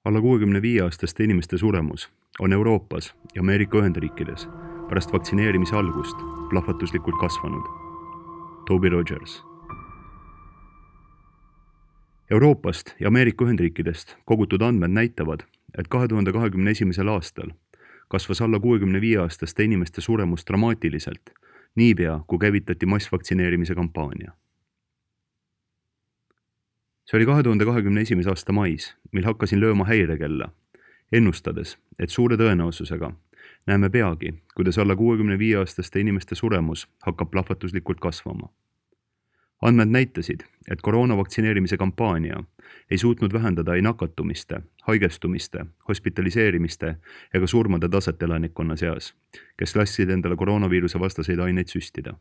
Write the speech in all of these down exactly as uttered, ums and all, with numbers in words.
Alla kuuekümne viie aastaste inimeste suremus on Euroopas ja Ameerika Ühendriikides pärast vaktsineerimise algust plahvatuslikult kasvanud. Toby Rogers. Euroopast ja Ameerika Ühendriikidest kogutud andmed näitavad, et kahe tuhande kahekümne esimesel aastal kasvas alla kuuekümne viie aastaste inimeste suremus dramaatiliselt, niipea kui käivitati massvaktsineerimise kampaania. See oli kahe tuhande kahekümne esimese aasta mais, mil hakkasin lööma häirekella, ennustades, et suure tõenäosusega näeme peagi, kuidas alla kuuekümne viie aastaste inimeste suremus hakkab plahvatuslikult kasvama. Andmed näitasid, et koroonavaktsineerimise kampaania ei suutnud vähendada ei nakatumiste, haigestumiste, hospitaliseerimiste ega surmade taset elanikkonna seas, kes lasid endale koroonaviiruse vastaseid aineid süstida.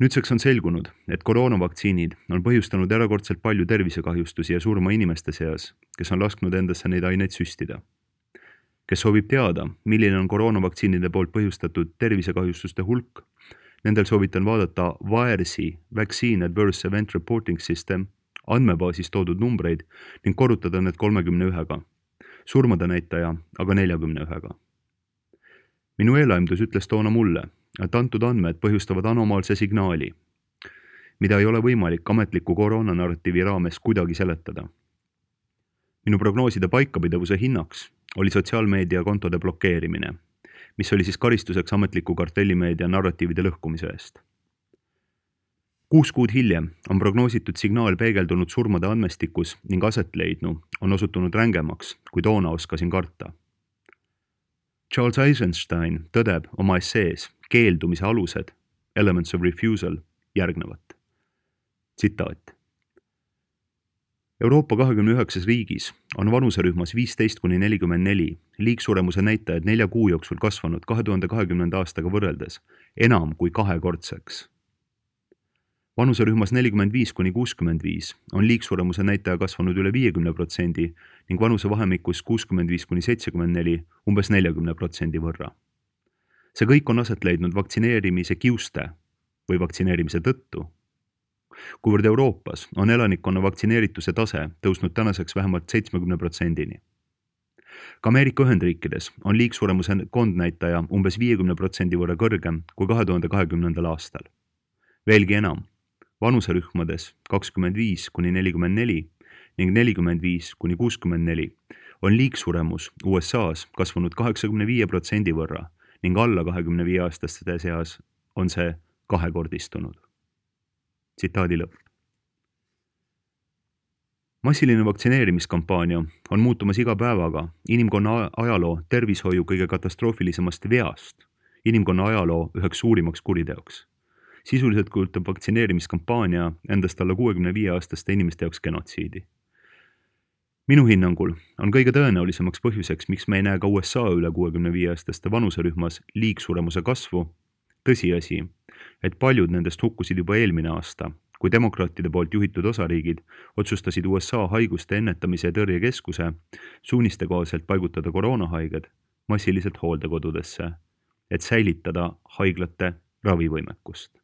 Nüüdseks on selgunud, et koroonavaktsiinid on põhjustanud erakordselt palju tervisekahjustusi ja surma inimeste seas, kes on lasknud endasse neid aineid süstida. Kes soovib teada, milline on koroonavaktsiinide poolt põhjustatud tervisekahjustuste hulk, nendel soovitan vaadata V A E R S-i Vaccine Adverse Event Reporting System andmebaasis toodud numbreid ning korrutada need kolmekümne ühega, surmade näitaja aga neljakümne ühega. Minu eelaimdus ütles toona mulle, et antud andmed põhjustavad anomaalse signaali, mida ei ole võimalik ametliku koroonanarratiivi raames kuidagi seletada. Minu prognooside paikapidavuse hinnaks oli sotsiaalmeedia kontode blokeerimine, mis oli siis karistuseks ametliku kartellimeedia narratiivide lõhkumise eest. Kuus kuud hiljem on prognoositud signaal peegeldunud surmade andmestikus ning aset leidnu on osutunud rängemaks, kui toona oskasin karta. Charles Eisenstein tõdeb oma essees keeldumise alused, Elements of Refusal, järgnevat. Tsitaat. Euroopa kahekümne üheksas riigis on vanuserühmas viisteist kuni nelikümmend neli liigsuremuse näitajad nelja kuu jooksul kasvanud kahe tuhande kahekümnenda aastaga võrreldes enam kui kahekordseks. Vanuserühmas nelikümmend viis kuni kuuskümmend viis on liigsuremuse näitaja kasvanud üle viiekümne protsendi ning vanusevahemikus kuuskümmend viis kuni seitsekümmend neli umbes neljakümne protsendi võrra. See kõik on aset leidnud vaktsineerimise kiuste või vaktsineerimise tõttu, kuivõrd Euroopas on elanikkonna vaktsineerituse tase tõusnud tänaseks vähemalt seitsmekümne protsendini. Ka Ameerika Ühendriikides on liigsuremuse kondnäitaja umbes viiekümne protsendi võrra kõrgem kui kahe tuhande kahekümnendal aastal. Veelgi enam, vanuserühmades kakskümmend viis kuni nelikümmend neli ning nelikümmend viis kuni kuuskümmend neli on liigsuremus U S A-s kasvanud kaheksakümne viie protsendi võrra ning alla kahekümne viie aastaste seas on see kahekordistunud. Tsitaadi lõpp. Massiline vaktsineerimiskampaania on muutumas iga päevaga inimkonna ajaloo tervishoiu kõige katastroofilisemast veast, inimkonna ajaloo üheks suurimaks kuriteoks. Sisuliselt kujutab vaktsineerimiskampaania endast alla kuuekümne viie aastaste inimeste jaoks genotsiidi. Minu hinnangul on kõige tõenäolisemaks põhjuseks, miks me ei näe ka U S A üle kuuekümne viie aastaste vanuserühmas liigsuremuse kasvu, tõsiasi, et paljud nendest hukkusid juba eelmine aasta, kui demokraatide poolt juhitud osariigid otsustasid U S A haiguste ennetamise ja tõrjekeskuse suuniste kohaselt paigutada koroonahaiged massiliselt hooldekodudesse, et säilitada haiglate ravivõimekust.